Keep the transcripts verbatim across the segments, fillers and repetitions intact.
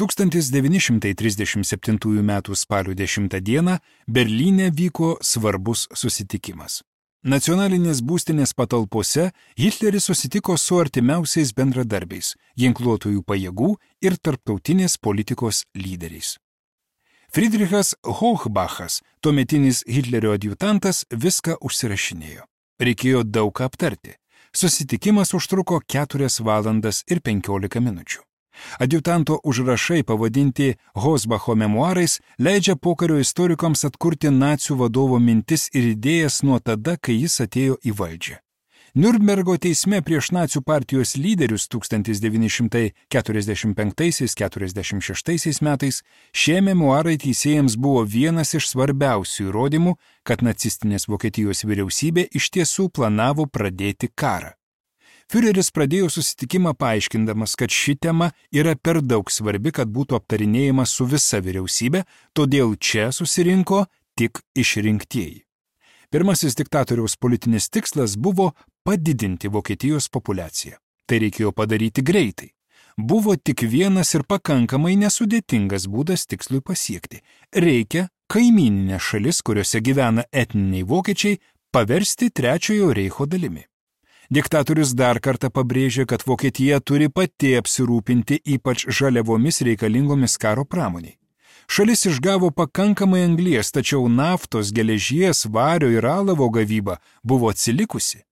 tūkstantis devyni šimtai trisdešimt septintųjų metų spalio dešimtą dieną Berlyne vyko svarbus susitikimas. Nacionalinės būstinės patalpose Hitleris susitiko su artimiausiais bendradarbiais, ginkluotųjų pajėgų ir tarptautinės politikos lyderiais. Friedrichas Hochbachas, tuometinis Hitlerio adjutantas, viską užsirašinėjo. Reikėjo daug ką aptarti. Susitikimas užtruko keturias valandas ir penkiolika minučių. Adjutanto užrašai pavadinti Hosbacho memuarais leidžia pokario istorikams atkurti nacių vadovo mintis ir idėjas nuo tada, kai jis atėjo į valdžią. Niurnbergo teisme prieš nacių partijos lyderius tūkstantis devyni šimtai keturiasdešimt penktaisiais keturiasdešimt šeštaisiais metais šie memuarai teisėjams buvo vienas iš svarbiausių įrodymų, kad nacistinės Vokietijos vyriausybė iš tiesų planavo pradėti karą. Führeris pradėjo susitikimą paaiškindamas, kad ši tema yra per daug svarbi, kad būtų aptarinėjama su visa vyriausybė, todėl čia susirinko tik išrinktieji. Pirmasis diktatoriaus politinis tikslas buvo padidinti Vokietijos populiaciją. Tai reikėjo padaryti greitai. Buvo tik vienas ir pakankamai nesudėtingas būdas tikslui pasiekti. Reikia kaimyninės šalis, kuriuose gyvena etniniai vokiečiai, paversti Trečiojo reicho dalimi. Diktatorius dar kartą pabrėžė, kad Vokietija turi pati apsirūpinti ypač žaliavomis reikalingomis karo pramoniai. Šalis išgavo pakankamai anglies, tačiau naftos, geležies, vario ir alavo gavyba buvo atsilikusi.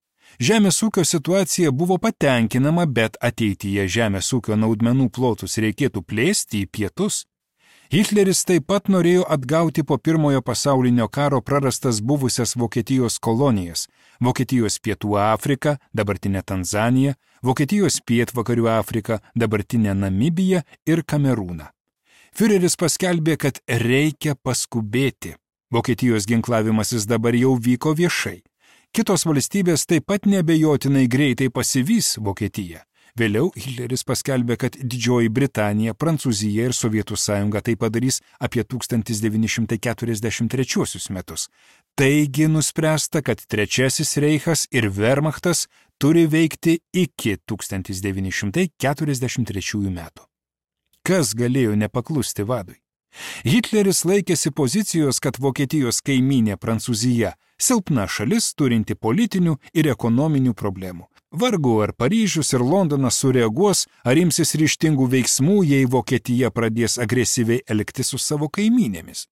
Žemės ūkio situacija buvo patenkinama, bet ateityje žemės ūkio naudmenų plotus reikėtų plėsti į pietus. Hitleris taip pat norėjo atgauti po pirmojo pasaulinio karo prarastas buvusias Vokietijos kolonijas – Vokietijos pietų Afriką, dabartinę Tanzaniją, Vokietijos pietvakarių Afriką, dabartinę Namibiją ir Kamerūną. Führeris paskelbė, kad reikia paskubėti. Vokietijos ginklavimasis dabar jau vyko viešai. Kitos valstybės taip pat neabejotinai greitai pasivys Vokietiją. Vėliau Hitleris paskelbė, kad Didžioji Britanija, Prancūzija ir Sovietų sąjunga tai padarys apie tūkstantis devyni šimtai keturiasdešimt trečiuosius metus. Taigi nuspręsta, kad Trečiasis reichas ir Wehrmachtas turi veikti iki tūkstantis devyni šimtai keturiasdešimt trečiųjų metų. Kas galėjo nepaklusti vadui? Hitleris laikėsi pozicijos, kad Vokietijos kaimynė Prancūzija silpna šalis turinti politinių ir ekonominių problemų. Vargu ar Paryžius ir Londonas sureaguos, ar imsis ryžtingų veiksmų, jei Vokietija pradės agresyviai elgtis su savo kaimynėmis.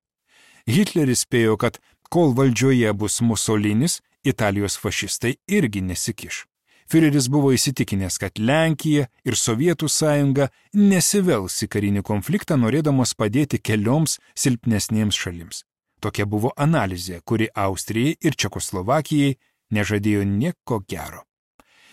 Hitleris spėjo, kad kol valdžioje bus Musolinis, Italijos fašistai irgi nesikiš. Führeris buvo įsitikinęs, kad Lenkija ir Sovietų sąjunga nesivels į karinį konfliktą, norėdamos padėti kelioms silpnesnėms šalims. Tokia buvo analizė, kuri Austrijai ir Čekoslovakijai nežadėjo nieko gero.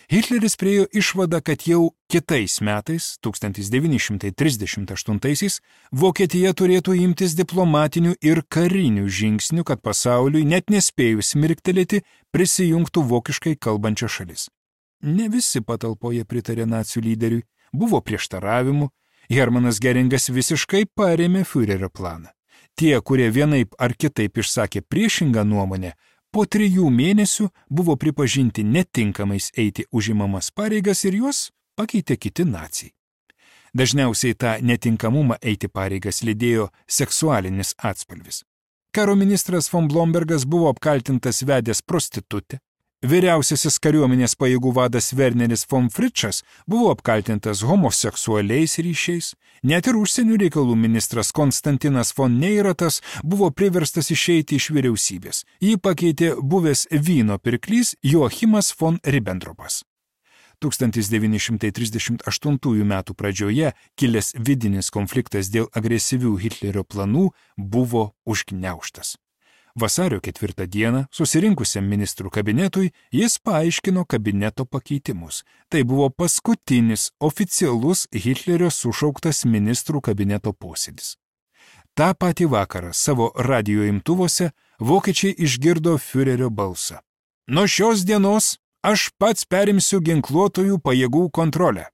Hitleris priėjo išvadą, kad jau kitais metais, tūkstantis devyni šimtai trisdešimt aštuntaisiais, Vokietija turėtų imtis diplomatinių ir karinių žingsnių, kad pasauliui, net nespėjus mirktelėti, prisijungtų vokiškai kalbančia šalis. Ne visi patalpoje pritarė nacių lyderiui, buvo prieštaravimų, Hermanas Geringas visiškai parėmė Führerio planą. Tie, kurie vienaip ar kitaip išsakė priešingą nuomonę, po trijų mėnesių buvo pripažinti netinkamais eiti užimamas pareigas ir juos pakeitė kiti naciai. Dažniausiai tą netinkamumą eiti pareigas lydėjo seksualinis atspalvis. Karo ministras von Blombergas buvo apkaltintas vedęs prostitutę, vyriausiasis kariuomenės pajėgų vadas Werneris von Fritschas buvo apkaltintas homoseksualiais ryšiais, net ir užsienio reikalų ministras Konstantinas von Neiratas buvo priverstas išeiti iš vyriausybės. Jį pakeitė buvęs vyno pirklys Joachimas von Ribbentropas. tūkstantis devyni šimtai trisdešimt aštuntųjų metų pradžioje kilęs vidinis konfliktas dėl agresyvių Hitlerio planų buvo užgniaužtas. Vasario ketvirtą dieną susirinkusiam ministrų kabinetui jis paaiškino kabineto pakeitimus. Tai buvo paskutinis oficialus Hitlerio sušauktas ministrų kabineto posėdis. Ta patį vakarą savo radijo imtuvuose vokiečiai išgirdo Führerio balsą. Nuo šios dienos aš pats perimsiu ginkluotojų pajėgų kontrolę.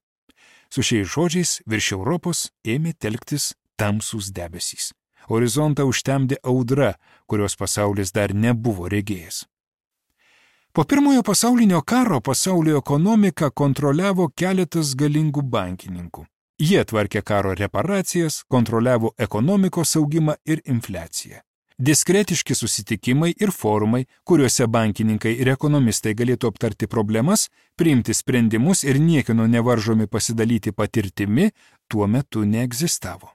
Su šiais žodžiais virš Europos ėmė telktis tamsūs debesys. Horizontą užtemdė audra, kurios pasaulis dar nebuvo regėjęs. Po pirmojo pasaulinio karo pasaulio ekonomiką kontroliavo keletas galingų bankininkų. Jie tvarkė karo reparacijas, kontroliavo ekonomikos augimą ir infliaciją. Diskretiški susitikimai ir forumai, kuriuose bankininkai ir ekonomistai galėtų aptarti problemas, priimti sprendimus ir niekieno nevaržomi pasidalyti patirtimi, tuo metu neegzistavo.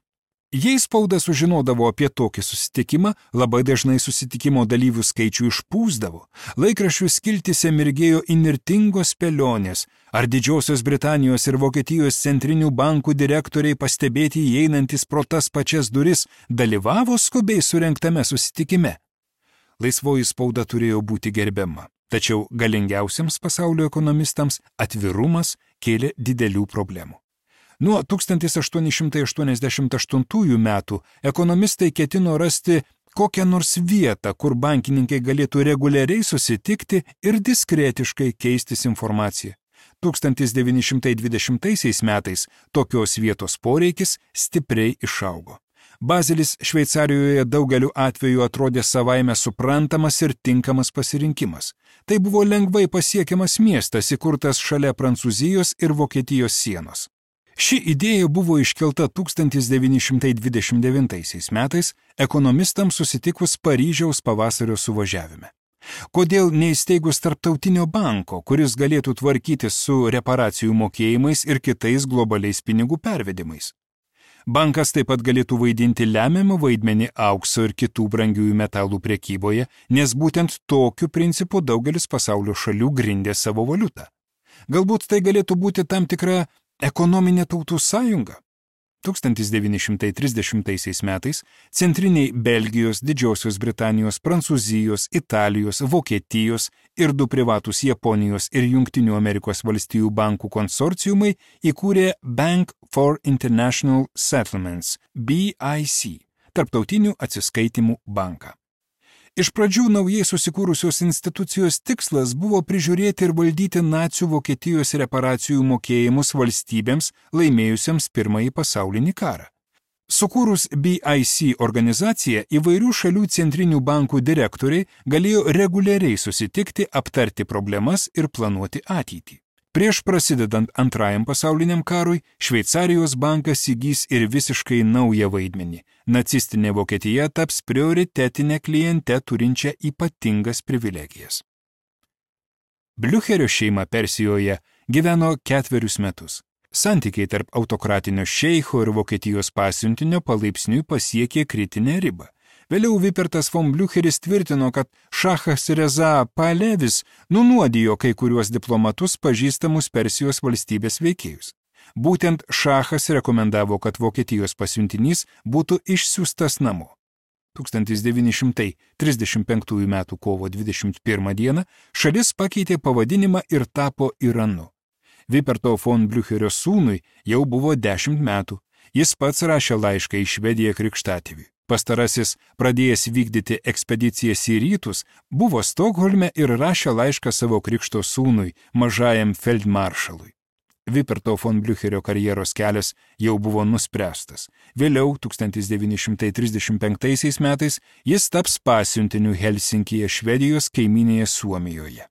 Jei spauda sužinodavo apie tokį susitikimą, labai dažnai susitikimo dalyvių skaičių išpūsdavo, laikraščių skiltyse mirgėjo įnirtingos spėlionės, ar Didžiosios Britanijos ir Vokietijos centrinių bankų direktoriai pastebėti įeinantis pro tas pačias duris dalyvavo skubiai surengtame susitikime. Laisvoji spauda turėjo būti gerbiama, tačiau galingiausiams pasaulio ekonomistams atvirumas kėlė didelių problemų. Nuo tūkstantis aštuoni šimtai aštuoniasdešimt aštuntųjų metų ekonomistai ketino rasti kokią nors vietą, kur bankininkai galėtų reguliariai susitikti ir diskretiškai keistis informaciją. tūkstantis devyni šimtai dvidešimtaisiais metais tokios vietos poreikis stipriai išaugo. Bazelis Šveicarijoje daugeliu atveju atrodė savaime suprantamas ir tinkamas pasirinkimas. Tai buvo lengvai pasiekiamas miestas įkurtas šalia Prancūzijos ir Vokietijos sienos. Ši idėja buvo iškelta tūkstantis devyni šimtai dvidešimt devintaisiais metais ekonomistams susitikus Paryžiaus pavasario suvažiavime. Kodėl neįsteigus tarptautinio banko, kuris galėtų tvarkytis su reparacijų mokėjimais ir kitais globaliais pinigų pervedimais? Bankas taip pat galėtų vaidinti lemiamą vaidmenį aukso ir kitų brangiųjų metalų prekyboje, nes būtent tokiu principu daugelis pasaulio šalių grindė savo valiutą. Galbūt tai galėtų būti tam tikra ekonominė tautų sąjunga. tūkstantis devyni šimtai trisdešimtaisiais metais centriniai Belgijos, Didžiosios Britanijos, Prancūzijos, Italijos, Vokietijos ir du privatūs Japonijos ir Jungtinių Amerikos valstijų bankų konsorciumai įkūrė Bank for International Settlements, B I C, tarptautinių atsiskaitimų banką. Iš pradžių naujai susikūrusios institucijos tikslas buvo prižiūrėti ir valdyti nacių Vokietijos reparacijų mokėjimus valstybėms laimėjusiems Pirmąjį pasaulinį karą. Sukūrus B I C organizaciją, įvairių šalių centrinių bankų direktoriai galėjo reguliariai susitikti, aptarti problemas ir planuoti ateitį. Prieš prasidedant Antrajam pasauliniam karui, Šveicarijos bankas įgys ir visiškai naują vaidmenį. Nacistinė Vokietija taps prioritetinę klientę turinčią ypatingas privilegijas. Bliucherio šeima Persijoje gyveno ketverius metus. Santykiai tarp autokratinio šeicho ir Vokietijos pasiuntinio palaipsniui pasiekė kritinę ribą. Vėliau Vipertas von Bliucheris tvirtino, kad šachas Reza Pahlevis nunuodijo kai kuriuos diplomatus pažįstamus Persijos valstybės veikėjus. Būtent šachas rekomendavo, kad Vokietijos pasiuntinys būtų išsiųstas namo. tūkstantis devyni šimtai trisdešimt penktųjų metų kovo dvidešimt pirmą dieną šalis pakeitė pavadinimą ir tapo Iranu. Viperto von Bliucherio sūnui jau buvo dešimt metų. Jis pats rašė laišką į Švediją krikštatėviui. Pastarasis, pradėjęs vykdyti ekspedicijas į rytus, buvo Stokholme ir rašė laišką savo krikšto sūnui, mažajam feldmaršalui. Viperto von Bliucherio karjeros kelias jau buvo nuspręstas. Vėliau, tūkstantis devyni šimtai trisdešimt penktaisiais metais, jis taps pasiuntiniu Helsinkyje, Švedijos kaimynėje Suomijoje.